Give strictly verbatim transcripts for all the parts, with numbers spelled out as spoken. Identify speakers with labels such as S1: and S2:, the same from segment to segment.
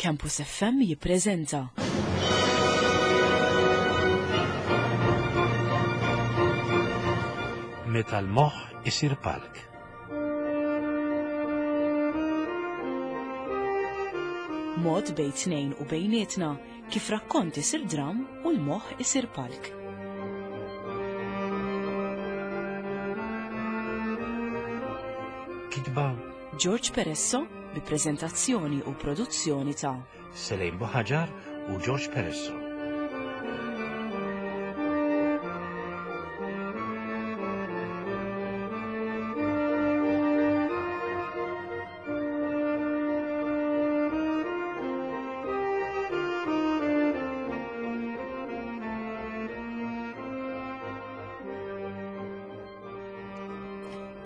S1: Campus F M jippreżenta
S2: Meta l-moħħ isir palk.
S1: Mod bejn tnejn u bejnietna kif rakkont isir dram u l-moħħ isir palk.
S2: Kitba
S1: George Peresso bi preżentazzjoni u produzzjoni ta'
S2: Selejn Buħaġar u George Peresso.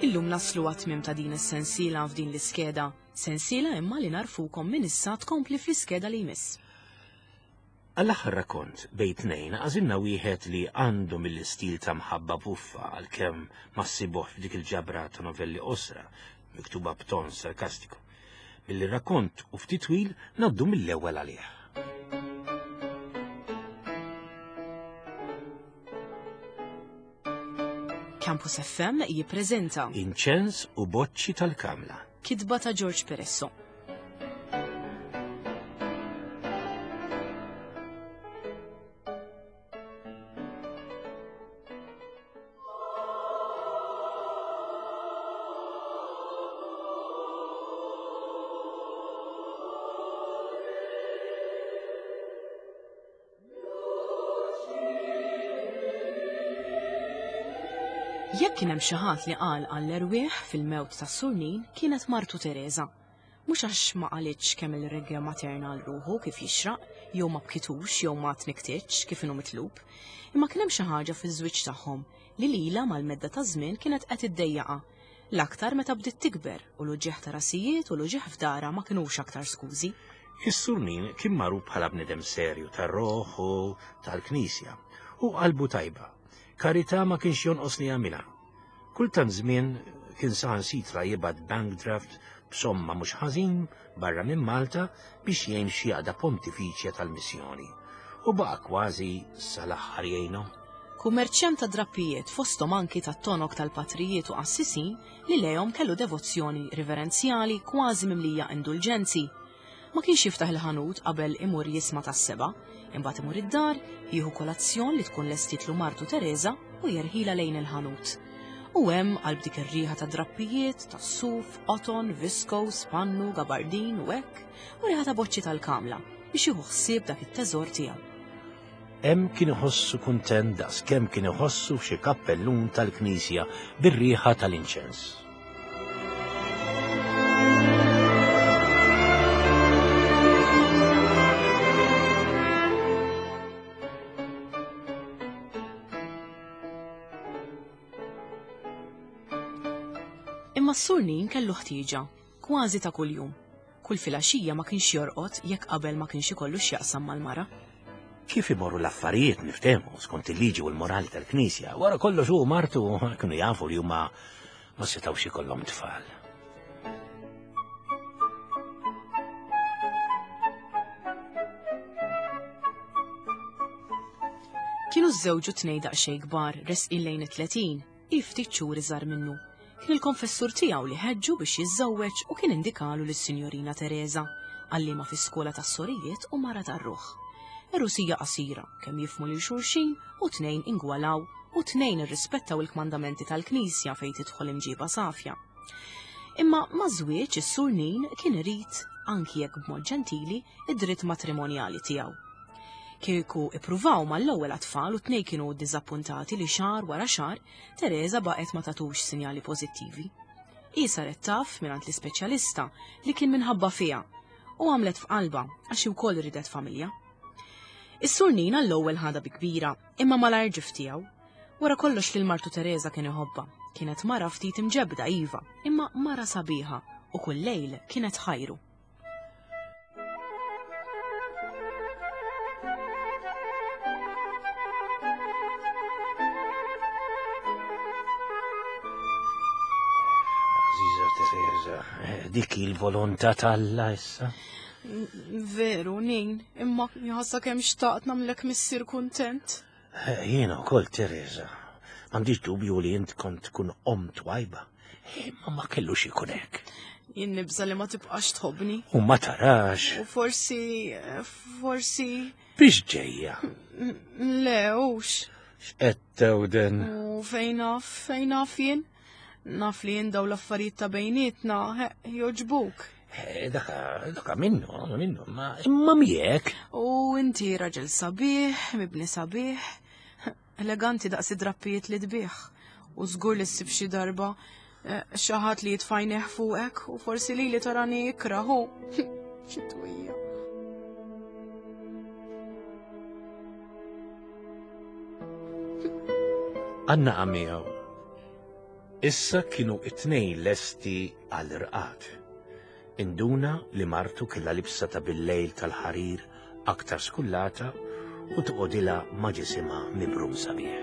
S1: Illum naslu għat-tmiem ta' din is-sensiela f'din l-iskeda. Sensiela imma li narfukom minn issa tkompli fl-iskeda li jmiss.
S2: Għall-aħħar rakkont bejn tnejn għażilna wieħed li għandu mill-istil ta' mħabba buffa, għalkemm ma ssibuh f'dik il-ġabra ta' novelli qosra miktuba b'ton sarkastiku. Billi rakkont u ftit twil, ngħaddu mill-ewwel għalih.
S1: Campus F M jippreżenta
S2: Inċens u boċċi tal-kamla.
S1: Kitba ta' George Peresso. Jekk kien hemm xi ħadd li qal għall-erwieħ fil-mewt tas-Sur Nin, kienet martu Teresa. Mhux għax ma qalitx kemm il-reggja materna għal ruħu kif jixraq, jew ma bkitux jew ma tniktitx kif inhu mitlub, imma kien hemm xi ħaġa fiż-żwieġ tagħhom li lila mal-medda ta' żmien kienet qed iddejjaqa. L-aktar meta bdiet tikber u l-uġieħ ta' rasijiet u l-uġieħ f'dara ma kinux aktar skużi.
S2: Is-Sur Nin kien magħruf bħala bniedem serju tar-roħ u tal-Knisja u qalbu tajba. Karità ma kienx jonqos li jagħmilha. Kultant żmien kien saħansitra jibgħat bank draft b'somma mhux ħażin barra minn Malta biex jgħin xi għaqda pontifiċja tal-missjoni. U baqa' kważi sal-aħħar jgħinhom.
S1: Kummerċjant ta' drappijiet, fosthom anki ta' tonok tal-patrijiet u qassisin li lejhom kellu devozzjoni riverenzjali kważi mimlija indulġenzi. Ma kienx jiftaħ il-ħanut qabel imur jisma' tas-seba, imbagħad imur id-dar, jieħu kolazzjon li tkun lestitlu martu Teresa u jerħila lejn il-ħanut. U hemm qalb dik ir-riħa ta' drappijiet, ta' suf, qoton, viscose, pannu, gabardin u hekk, u riħa ta' boċċi tal-kamla biex jieħu ħsieb dak it-teżor tiegħu.
S2: Hemm kien iħossu kuntent daqs kemm kien iħossu f'xi kappellun tal-Knisja bir-riħa tal-inċens.
S1: Imma s-Sur Nin kellu ħtieġa, kważi ta' kuljum. Kull filgħaxija ma kienx jorqod jekk qabel ma kienx ikollu x'jaqsam mal-mara.
S2: Kif imorru l-affarijiet niftehmu skont il-liġi u l-morali tal-Knisja, wara kollox hu u martu kienu jafu li huma ma setgħux ikollhom tfal.
S1: Kienu żewġu tnejn daqsxejn kbar, resqin lejn it-tletin, hi ftit xhur iżgħar minnu. Kien il-konfessur tiegħu li ħeġġu biex jiżżewweġ u kien indikalu lis-Sinjorina Teresa, għalliema fi-skola tas-sorijiet u mara tar-ruħ. Erusija qasira, kemm jifmu lil xulxin u tnejn ingwalaw u tnejn irrispettaw il-kmandamenti tal-Knisja fejn tidħol imġiba safja. Imma ma' żwieġ is-Sur Nin kien irid, anki jekk b'mod ġentili, id-dritt matrimonjali tiegħu. Kieku ippruvaw mal-ewwel għat-tfal u tnejn kienu ddiżappuntati li xahar wara xahar Teresa baqgħet ma tatux sinjali pożittivi. Hi saret taf mingħand l-ispeċjalista li kien minħabba fiha u għamlet f'qalba għax hi wkoll ridet familja. Is-Sur Nin għall-ewwel ħadha bi kbira, imma malajr ġif tiegħu. Wara kollox lil martu Teresa kien iħobbha. Kienet mara ftit imġebda iva, imma mara sabiħa u kull lejl kienet ħajru.
S2: Aziza Teresa, dik il-volontà t'Alla issa.
S1: Veru, Nin, imma jħassa kemm xtaqt nagħmlek missier kuntent.
S2: Jiena wkoll, Teresa, m'għandix dubju li int kont tkun omm twajba. Imma ma kellux ikun hekk.
S1: Jien nibża li ma tibqax tħobbni.
S2: U ma tarax.
S1: U forsi, forsi.
S2: Biex ġejja?
S1: Le, hux.
S2: X'qed tewden?
S1: U fejn naf, fejn naf jien? Naf li jien daw l-affarijiet ta' bejnietna joġbuk.
S2: Daka, daka minnu, minnu, ma imma miegħek.
S1: U inti raġel sabiħ, mibni sabiħ, eleganti daqs id-drappijiet li tbih. U żgur li ssib xi darba xi ħadd li jitfajneħ fuqek u forsi li li tarani ikrahu. Xi twija.
S2: Għanna miegħu. Issa kienu it-tnejn lesti għall-irqad. Induna li martu kellha libsa ta' bil-lejl tal-ħarir aktar skullata u toqgħodilha ma' ġisimha mibrum sabiħ.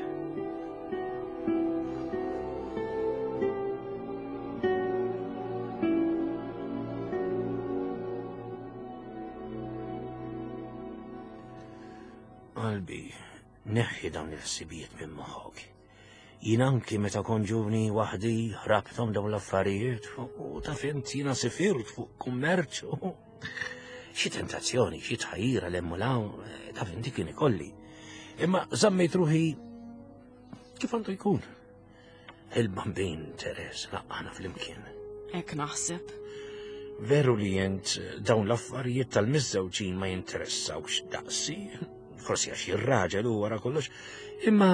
S2: Qalbi, neħħi dawn il-ħsibijiet minn moħħok. Jien anki meta kont ġuvni waħdi ħrabthom dawn l-affarijiet u taf int jiena sifirt fuq kummerċ. Xi tentazzjoni, xi tħajjira l-hemm u l-hawn, taf inti kien ikolli. Imma żammejt ruħi kif għandu jkun. Il-bambin Teres laqqana flimkien.
S1: Hekk naħseb.
S2: Veru li jent dawn l-affarijiet tal-miżżewġin ma jinteressawx daqsi, forsi għax ir-raġel u wara kollox, imma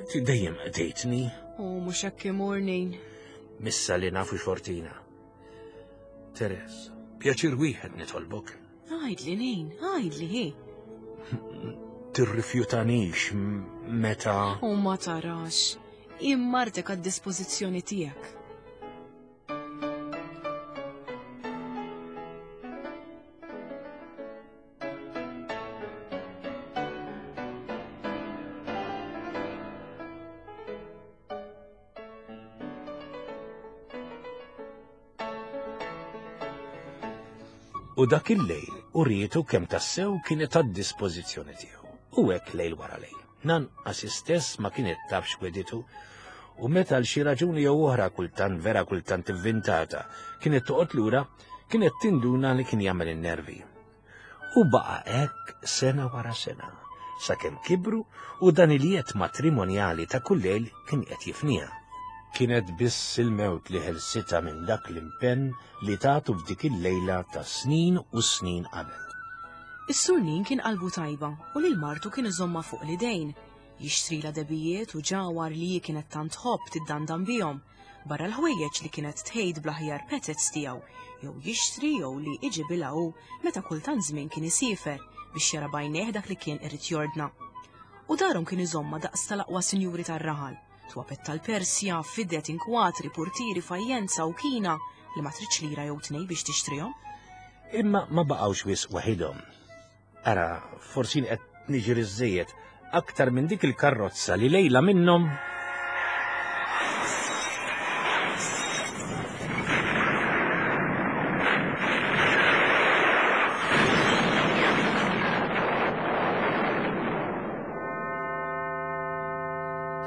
S2: dejjem qdejtni.
S1: U mhux hekk imur, Nin.
S2: Missa li nafu xortina. Teres, pjaċir wieħed nitolbok.
S1: Għajdli, Nin, għajdli, hi.
S2: Tirrifjutanix meta.
S1: U ma tarax, immartek għad-dispożizzjoni tiegħek.
S2: U dak il-lejl urietu kemm tassew kienet għad-dispożizzjoni tiegħu. U hekk lejl wara lejl. Nanqas istess ma kienet taf x'weditu, u meta għal xi raġuni jew oħra kultant vera kultant ivvintata kienet toqgħod lura, kienet tinduna li kien jagħmel in-nervi. U baqa' hekk sena wara sena, sakemm kibru u dan il-jiet matrimonjali ta' kull lejl kien qed jifniha. Kienet biss il-mewt li ħelsitha minn dak l-impenn li tagħtu f'dik il-lejla ta' snin u snin qabel.
S1: Is-Sur Nin kien qalbu tajba u lil martu kien iżomma fuq l-idejn, jixtrila debijiet u ġawar li hi kienet tant tħobb tiddandan bihom, barra l-ħwejjeġ li kienet tħejt bl-aħjar petets tiegħu, jew jixtri jew li iġibilha hu meta kultant żmien kien isiefer biex jara b'għajnejh dak li kien irid jordna. U darhom kien iżomma daqs tal-aqwa sinjuri tar-raħal, twapet tal-Persja, fidet inkwatri, portieri, fajjenza u kina li ma tridx lira jew tnej biex tixtrihom.
S2: Imma ma baqgħux wisq waħidhom. Ara, forsi qed niġri żejjed aktar minn dik il-karrozza li lejla minnhom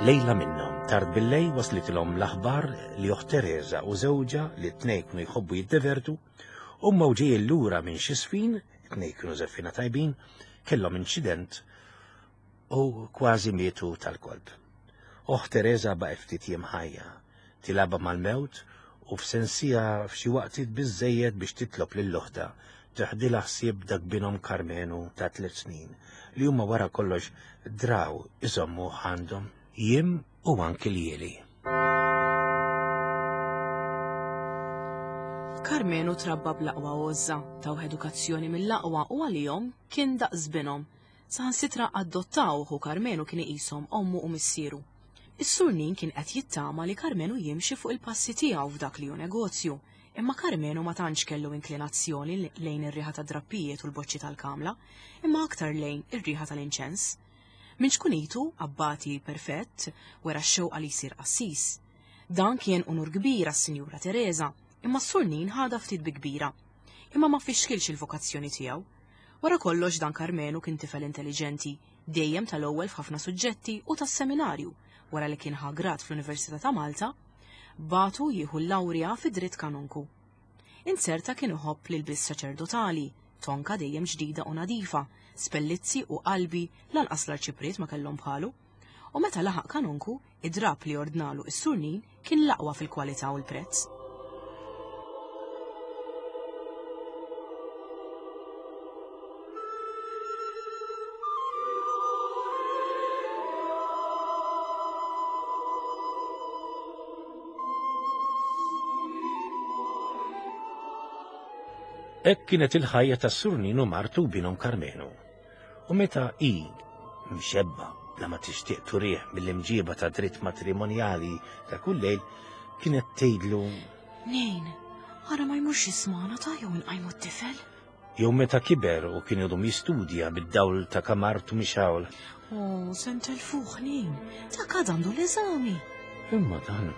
S2: Lejla minnhom, tard bil-lejl waslitilhom l-aħbar li oħt Teresa u żewġha li t-tnejn kienu jħobbu jiddevertu, huma u ġejjin lura minn xi sfin, it-tnejn kienu żeffina tajbin, kellhom inċident u kważi mietu tal-kolb. Oħt Teresa baqgħet ftit jiem ħajja, tilaba mal-mewt u f'sensija f'xi waqtiet biżżejjed biex titlob lil oħtha teħdilha ħsieb dak binhom Karmenu ta' tliet snin li huma wara kollox draw iżommu għandhom jiem u anki ljieli.
S1: Karmenu trabba bl-aqwa għożża, tawh edukazzjoni mill-aqwa u għalihom kien daqs binhom. Saħansitra adottawh u Karmenu kien iqishom ommu u missieru. Is-Sur Nin kien qed jittama li Karmenu jimxi fuq il-passi tiegħu f'dak li hu negozju, imma Karmenu ma tantx kellu inklinazzjoni lejn ir-riħa ta' drappijiet u l-boċċi tal-kamla, imma aktar lejn ir-riħa tal-inċens. Minn xkunitu, abbati perfett, wera x-xewqa li jsir qassis. Dan kien unur kbir għas-Sinjura Teresa, imma s-Sur Nin ħadha ftit bi kbira. imma ma fixkilx il-vokazzjoni tiegħu. Wara kollox dan Karmenu kien tifel intelliġenti, dejjem tal-ewwel f'ħafna suġġetti u tas-seminarju, wara li kien ħa grad fl-Università ta' Malta, batu jieħu l-lawrja fi dritt kanonku. Inzerta kien iħobb l-ilbies saċerdotali, tonka dejjem ġdida u nadifa, spellizzi u qalbi lanqas l-arċipriet ma kellhom bħalu. U meta laħaq kanonku, id-drap li ordnalu is-Sur Nin kien l-aqwa fil-kwalità u l-prezz.
S2: Hekk kienet il-ħajja tas-Sur Nin u martu binhom Karmenu. U meta hi mxebba bla ma tixtieq turih mill-imġiba ta' dritt matrimonjali ta' kull lejl, kienet tgħidlu:
S1: Nin, ara ma jmurx jismana ta' jew nqajmu t-tifel.
S2: Jew meta kiber u kien idum jistudja bid-dawl ta' kamartu mixawl.
S1: Oh, se ntelfuh Nin, ta' għad għandu l-eżami.
S2: Imma dan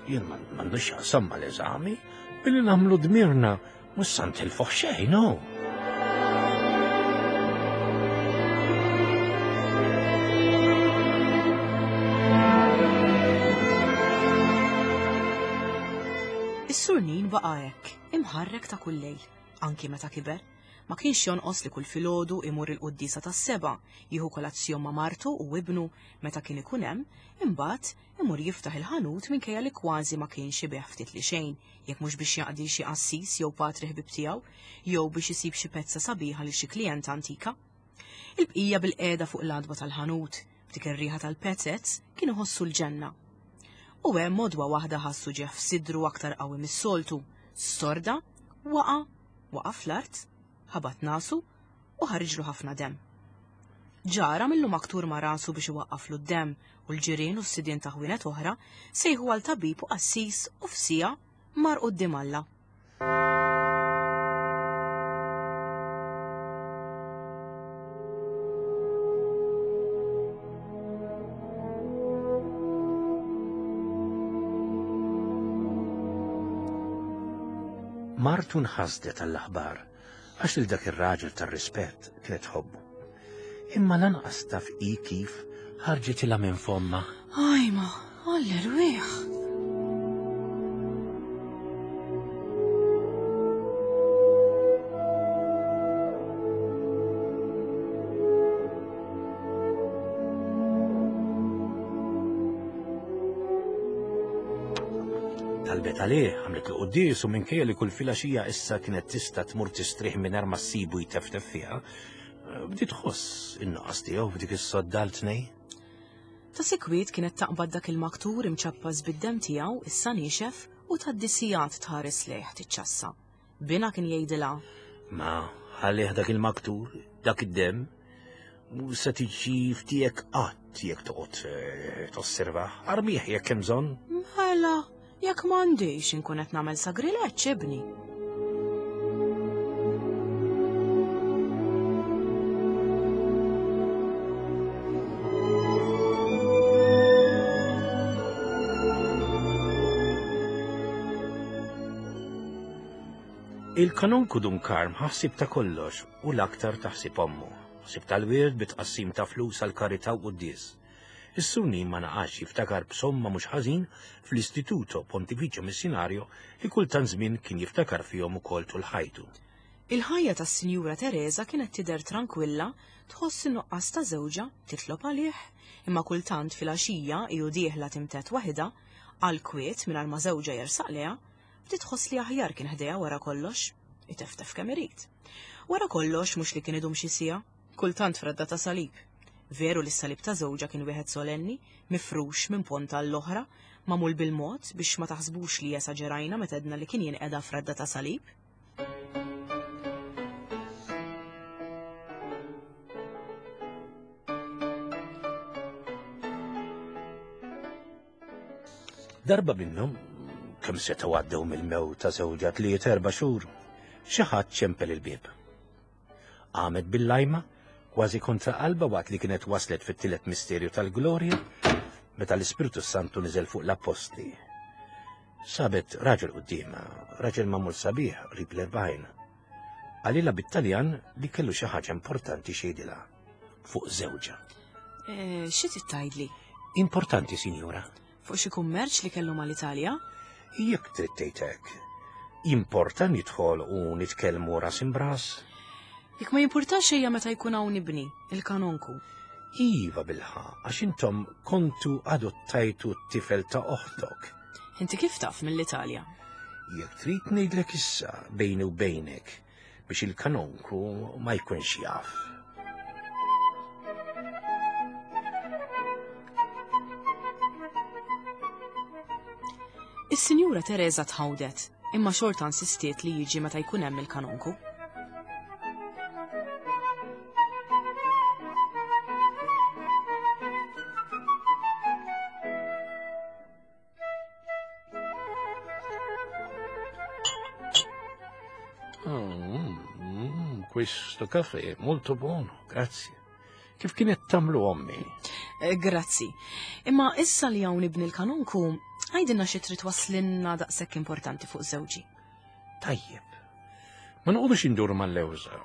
S2: jien m'għandux x'jaqsam mal-eżami, billi nagħmlu dmirna mhux se ntilfuh xejn, no.
S1: Is-Sur Nin baqa' hekk, imħarrek ta' kull lejl, anki meta kiber. Ma kienx jonqos li kull filgħodu imur il-quddiesa tas-seba', jieħu kolazzjon ma' martu u ibnu meta kien ikun hemm, imbagħad imur jiftaħ il-ħanut minkejja li kważi ma kienx ibigħ ftit li xejn, jekk mhux biex jaqdi xi qassis jew patri ħbib tiegħu, jew biex isib xi pezza sabiħa lil xi klijent antika. Il-bqija bil-qiegħda fuq l-għadba tal-ħanut, b'dik ir-riħa tal-pezzez, kien iħossu l-ġenna. U hemm modwa waħda ħassu ġeħ f'sidru aktar qawwi mis-soltu, storda, waqa', waqa' fl-art, ħabat nasu u ħarġlu ħafna demm. Ġara millu maktur ma' rasu biex iwaqqaflu d-demm u l-ġirien u s-sidien ta' ħwienet oħra sejħu għal tabib u qassis u f'sija mar quddiem Alla.
S2: Martu nħasdet għall-aħbar għax lil dak ir-raġel tar-rispett kienet tħobbu. Imma lanqas taf hi kif ħarġitilha minn fomma.
S1: Ajma, għall-erwieħ.
S2: Talbet għalih, għamlet l-quddies u minkejja li kull filgħaxija issa kienet tista' tmur tistrieħ mingħajr ma ssibu jteftef fiha, bdiet tħoss in-nuqqas tiegħu f'dik is-sodda għal tnejn.
S1: Ta' sikwit kienet taqbad dak il-maktur imċappas bid-demm tiegħu issa niexef u tgħaddi sigħat tħares lejh tiċċassa. Bina kien jgħidilha:
S2: Ma ħallih dak il-maktur, dak id-demm, mhu se tiġi ftiegħek qatt jekk toqgħod, eh, tosservah, armih jekk hemm bżonn.
S1: Mela, jekk m'għandix inkun qed nagħmel sagrileġġ ibni.
S2: Il-kanonku Dun Karm ħasib ta' kollox u l-aktar taħsib ommu. Ħsib tal-wirt bit-tqassim ta' flus għal karità u quddies. Is-Sur Nin ma naqax jiftakar b'somma mhux ħażin fl-Istituto Pontificio Missionario li kultant żmien kien jiftakar fihom ukoll tul ħajtu.
S1: Il-ħajja tas-Sinjura Teresa kienet tidher tranquilla, tħoss in-nuqqas ta' żewġha, titlob għalih, imma kultant filgħaxija hi u dieħla timtet waħedha, għal kwiet mingħajr ma żewġha jersaq lejha, bdiet tħoss li aħjar kien ħdejha wara kollox, iteftef kemm irid. Wara kollox mhux li kien idum xi siegħa, kultant fredda ta' salib. Veru li s-salib ta' żewġha kien wieħed solenni, mifrux minn ponta għall-oħra, magħmul bil-mod biex ma taħsbux li esaġerajna meta għedna li kien jinqeda fredda ta' salib.
S2: Darba minnhom, kemm setgħu għaddew mill-mewt ta' żewġha tliet erba' xhur, xi ħadd ċempel il-bieb. Qamet bil-lajma, kważi kontra qalba waqt li kienet waslet fit-tielet misterju tal-glorja, meta l-Ispirtu Santu niżel fuq l-Appostli. Sabet raġel quddiemha, raġel magħmul sabiħ qrib l-erbgħin. Qalilha bit-Taljan li kellu xi ħaġa importanti x'jgħidilha fuq żewġha.
S1: Eh, xi trid tgħidli?
S2: Importanti, sinjura.
S1: Fuq xi kummerċ li kellu mal-Italja?
S2: Jekk trid tgħid hekk. Jimporta nidħol u nitkellmu ras imbras?
S1: Jekk ma jimpurtax ejja meta jkun hawn ibni, il-kanonku.
S2: Iva bilħaqq, għax intom kontu adottajtu t-tifel ta' oħtok.
S1: Inti kif taf mill-Italja?
S2: Jekk trid ngħidlek issa bejni u bejnek biex il-kanonku ma jkunx jaf.
S1: Is-Sinjura Teresa tħawdet, imma xorta insistiet li jiġi meta jkun hemm il-kanonku.
S2: Mm, mm, questo caffè è molto buono, grazie. Kif kienet tagħmlu ommi?
S1: Eh, grazzi. Imma issa li hawn ibni l-kanonku, għidilna xi trid twasslilna daqshekk importanti fuq żewġi.
S2: Tajjeb. Ma noqogħdux induru mal-lewża.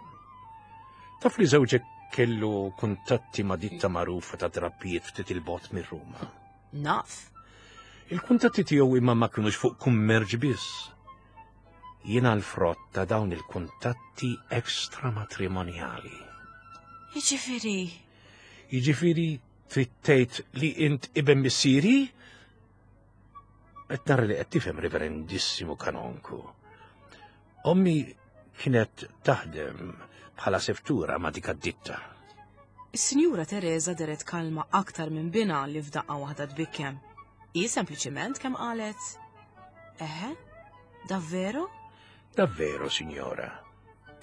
S2: Taf li żewġek kellu kuntatti ma' ditta magħrufa ta' drappijiet ftit il-bogħod minn Ruma.
S1: Naf.
S2: Il-kuntatti tiegħu imma ma kinux fuq kummerċ biss. Jiena l-frott ta' dawn il-kuntatti ekstramatrimonjali.
S1: Jiġifieri.
S2: Jiġifieri trid tgħid li int iben missieri? Qed nara li qed tifhem, reverendissimu kanonku. Ommi kienet taħdem bħala seftura ma' dik ad-ditta.
S1: Is-Sinjura Teresa deret kalma aktar minn bina li f'daqqa waħda tbikkem. Hi sempliċiment kemm qalet: Eħe, davvero?
S2: Davvero, signora.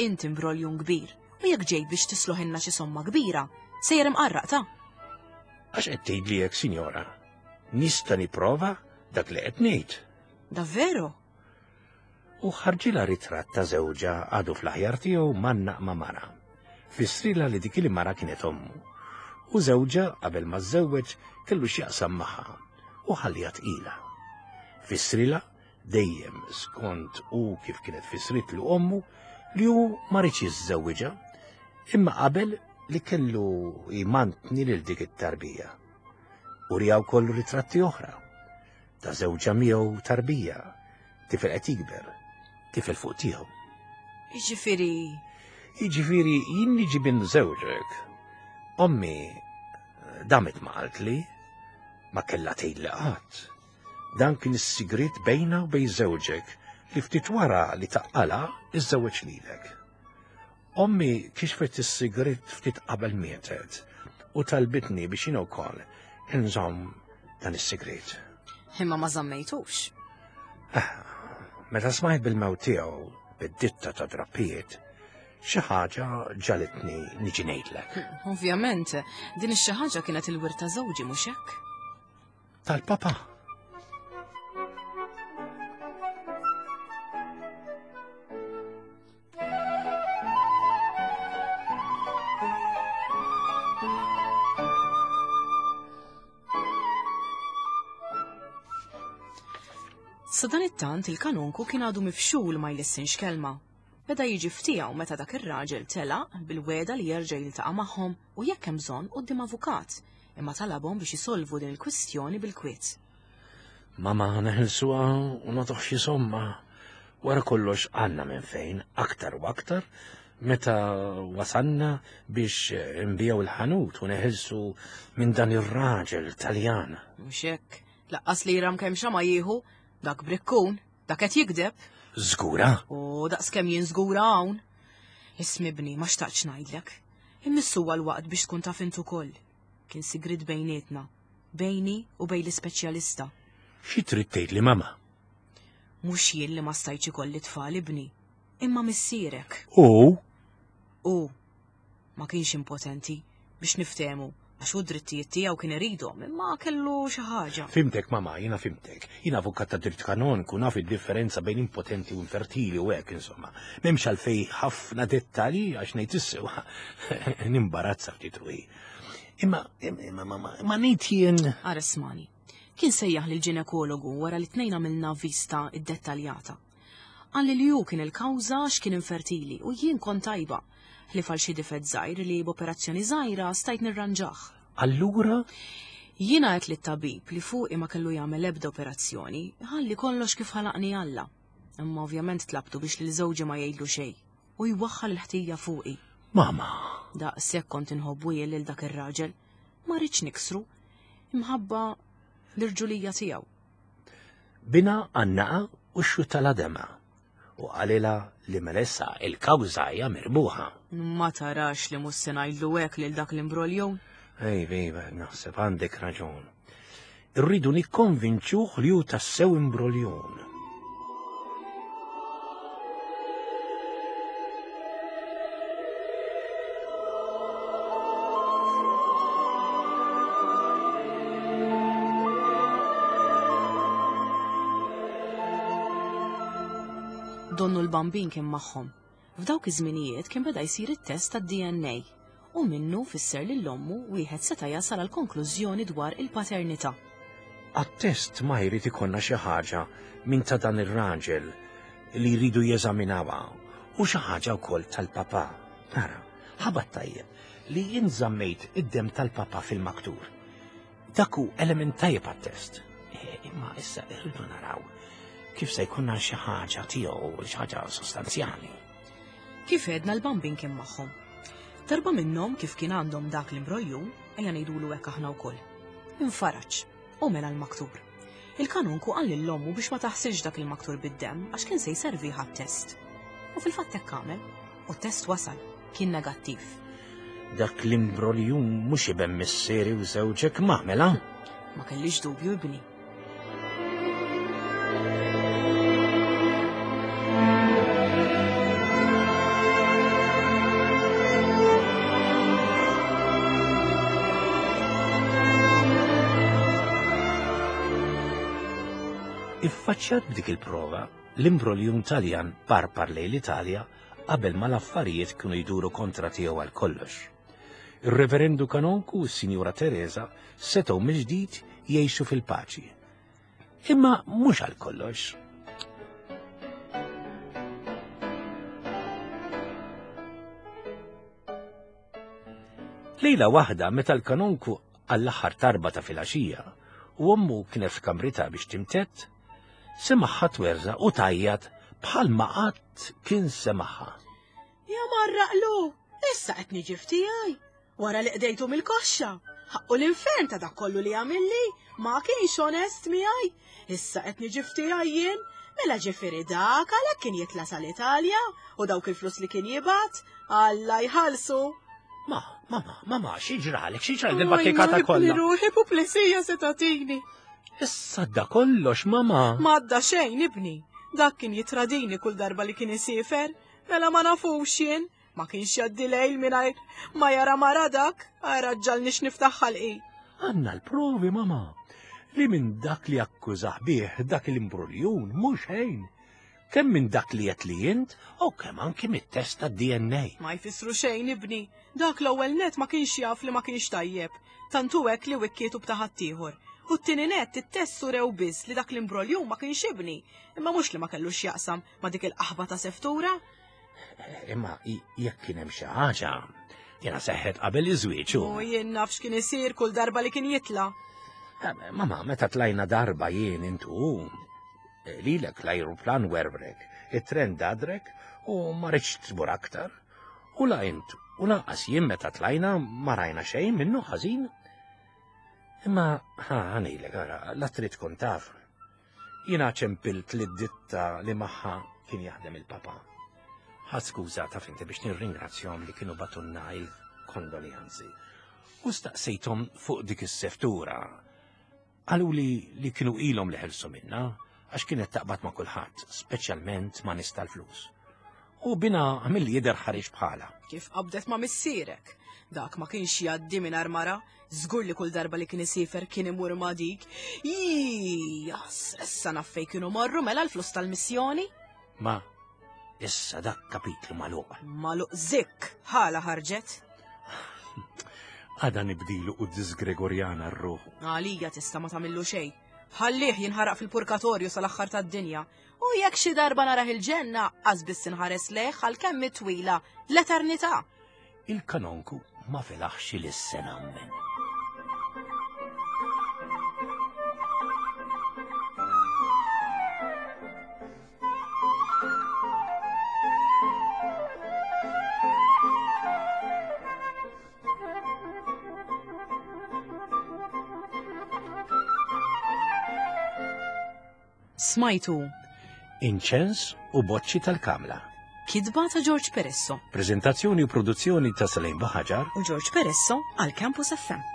S1: Int imbroljun kbir, u jekk ġejt biex tisloħinna xi somma kbira, sejjer imqarraq ta'.
S2: Għax qed tgħidli hekk, sinjora? Nista' nipprova dak li qed ngħid.
S1: Davvero?
S2: U ħarġilha ritratt ta' żewġha għadu fl-aħjar tiegħu mannaq ma' mara. Fissrilha li dik il-mara kienet ommu. U żewġha qabel ma żżewweġ kellu x'jaqsam magħha u ħallija tqila. Fissrilha dejjem skont u kif kienet fissritlu ommu li hu ma riedx jiżżewwiġha, imma qabel li kellu jmantni lil dik it-tarbija. U riha wkoll ritratti oħra ta' żewġha miegħu tarbija, tifel qed jikber, tifel fuq tiegħu.
S1: Jiġifieri.
S2: Jiġifieri jien niġi bin żewġek. Ommi damet ma qaltli, ma kellha tgħidli qatt. Dan kien is-sigriet bejna u bejn żewġek li ftit wara li taqqala iżżewweġ lilek. Ommi kixfet is-sigriet ftit qabel mietet u talbitni biex jien ukoll inżomm dan is-sigriet.
S1: Imma ma żammejtux.
S2: Ah, meta smajt bil-mewt tiegħu bid-ditta ta' drappijiet, xi ħaġa ġalitni niġi ngħidlek.
S1: Ovvjament, din ix-xi ħaġa kienet il-wirt ta' żewġi mhux hekk?
S2: Tal-papa.
S1: Sadanittant il-kanonku kien għadu mifxul ma jlissinx kelma. Beda jiġi ftiegħu meta dak ir-raġel telaq bil-weda li jerġa' jiltaqa' magħhom u jekk hemm bżonn quddiem avukat, imma talabhom biex isolvu din il-kwistjoni bil-kwiet.
S2: Mama neħilsuha u nagħtuh xi somma. Wara kollox għandna minn fejn aktar u aktar meta wasanna biex nbiegħu il-ħanut u neħilsu minn dan ir-raġel Taljan.
S1: Mhux hekk, laqqas li ram kemm xama jieħu, dak brikkun, dak qed jikdeb.
S2: Żgura?
S1: U daqs kemm jien żgura hawn. Ismi bni, ma xtaqtx ngħidlek. Immissu huwa l-waqt biex tkun taf int ukoll. Kien sigriet bejnietna, bejni u bejn l-ispeċjalista.
S2: Xi trid tgħidli mama?
S1: Mhux jien li ma stajtx ikolli tfal ibni, imma missierek.
S2: U?
S1: U ma kienx impotenti biex niftehmu għax hu d-drittijiet tiegħu kien iridhom, imma kellu xi ħaġa.
S2: Fimtek mama, jiena fimtek. Jiena avukat ta' dritt kanonku, naf id-differenza bejn impotenti u infertili u hekk insomma. M'hemmx għalfej ħafna dettalji għax ngħid is-sewwa nimbarazza ftit ruħi. Imma imma mama, imma ngħid jien.
S1: Ara smani. Kien sejjaħ lil ġinekologu wara li tnejn għamilna vista iddettaljata. Qalli li hu kien il-kawża għax kien infertili u jien kont tajba, ħlief għal xi difett żgħir li b'operazzjoni żgħira stajt nirranġah.
S2: Allura?
S1: Jiena għedt lit-tabib li fuqi ma kellu jagħmel ebda operazzjoni, ħalli kollox kif ħalaqni Alla. Imma ovvjament tlabtu biex lil żewġi ma jgħidlu xejn u jwaħħal il-ħtija fuqi.
S2: Mama!
S1: Daqshekk kont inħobbu jien lil dak ir-raġel. Ma rridx niksru imħabba l-irġulija tiegħu.
S2: Bina għannaqa u xxuttala dema u qalilha li melessa il-kawża hija mirbuħa.
S1: Ma tarax li mhux se ngħidlu hekk lil dak l-imbroljun?
S2: Ej, bejba, naħseb għandek raġun. Irridu nikkonvinċuh li hu tassew imbroljun.
S1: Donnu l-Bambin kien magħhom. F'dawk iż-żminijiet kien beda jsir it-test tad-D N A u minnu fisser lil ommu wieħed seta' jasal għal konklużjoni dwar il-paternità.
S2: Għat-test ma jrid ikollna xi ħaġa minn ta' dan ir-raġel li jridu jeżaminawha u xi ħaġa wkoll tal-papà. Ara, ħabat tajjeb li jien żammejt id-demm tal-papà fil-maktur. Dak hu element tajjeb għat-test. E, imma issa irridu naraw kif se jkunna xi ħaġa tiegħu, xi ħaġa sostanzjali.
S1: Kif għedna l-Bambin kien magħhom. Darba minnhom kif kien għandhom dak l-imbroljun, ejja ngħidulu hekk aħna wkoll. Infaraġ u mela l-maktur. Il-kanunku qal lil ommu biex ma taħsilx dak il-maktur bid-demm għax kien se jservi ħat-test. U fil-fatt hekk għamel, u t-test wasal, kien negattiv.
S2: Dak l-imbroljun mhux iben missieri u żewġek ma mela?
S1: Ma kellix dubju ibni.
S2: Iffaċċjat b'dik il-prova, l-imbroljun Taljan parpar lejn l-Italja qabel ma l-affarijiet kienu jduru kontra tiegħu għal kollox. Ir-Reverendu Kanonku u s-Sinjura Teresa setgħu mill-ġdid jgħixu fil-paċi. Imma mhux għal kollox. Lejla waħda meta l-kanonku għall-aħħar tarba ta' filgħaxija u ommu kienet f'kamritha biex timtett, semaħħa twerża u tajjat bħalma qatt kien semaħħa.
S1: Ja marraqlu, issa qed niġi f'tiegħi. Wara li qdejtu mill-koxxa, ħaqqu l-infern ta' dak kollu li għamilli, ma kienx onest miegħi. Issa qed niġi f'tiegħi jien, mela ġifieri dak għalhekk kien jitla' sal-Italja u dawk il-flus li kien jibgħat, Alla jħallsu.
S2: Ma, ma, ma, ma, ma, xi ġralek, xi ġralek il-battikata
S1: Oj,
S2: kollha?
S1: Ruħi puplesija se tagħtini.
S2: Issa da kollox, mama.
S1: Ma għadda xejn, ibni. Dak kien jitradini kull darba li kien isifer, mela ma nafux jien. Ma kienx jgħaddi lejl mingħajr ma jara mara dak, ara ġġalnix niftaħ ħalqi.
S2: Għandna l-provi, mama, li minn dak li akkużah bih dak l-imbruljun mhux xejn. Kemm minn dak li qed li int u kemm anki mit-test tad-D N A.
S1: Ma jfissru xejn, ibni. Dak l-ewwel net ma kienx jaf li ma kienx tajjeb. Tantu hekk li wikkietu b'ta' ħaddieħor. U t-tieni net it-test surew biss li dak l-imbroljun ma kienx ibni, imma mhux li ma kellux jaqsam ma dik il-qaħba ta' seftura.
S2: Imma i-, jekk kien hemm xi ħaġa, jiena seħħet qabel iż-żwieġ u.
S1: U jien naf x'kien isir kull darba li kien jitla'.
S2: Eh, mama, meta tlajna darba jien intu, eh, lilek l-ajruplan werbrek, it-tren dadrek u ma rridx tmur aktar. U la int, u lanqas jien meta tlajna ma rajna xejn minnu ħażin. Imma, ħa, ħanejlek, ara, la trid tkun taf. Jiena ċempilt li d-ditta li magħha kien jaħdem il-papa. Ħadd skuża taf inti biex nirringrazzjahom li kienu batunna il-kondoljanzi. U staqsejthom fuq dik is-seftura. Qalu li, li kienu ilhom li ħelsu minna għax kienet taqbad ma' kulħadd, speċjalment ma' nies tal-flus. U bina milli jidher ħareġ bħala.
S1: Kif qabdet ma' missierek? Dak ma kienx jgħaddi mingħajr mara, żgur li kull darba li kien isifer kien imur ma' dik. Ijas, issa naf fejn kienu morru mela l-flus tal-missjoni.
S2: Ma, issa dak kapitlu magħluq.
S1: Magħluq zik, ħala ħarġet.
S2: Għada nibdilu u disgregorjana r-ruħu.
S1: Għalija tista' ma tagħmillu xejn. Ħallih jinħaraq fil-purgatorju sal-aħħar tad-dinja. U jekk xi darba narah il-ġenna, qas biss inħares lejh għal kemm twila l-eternità.
S2: Il-kanonku ma felaħx ilissen ammen.
S1: Smajtu
S2: Inċens u boċċi tal-kamla.
S1: Kitba ta' George Peresso
S2: Prezentazzjoni u produzzjoni ta' Salim Baħaġar
S1: u George Peresso għal Campus F M.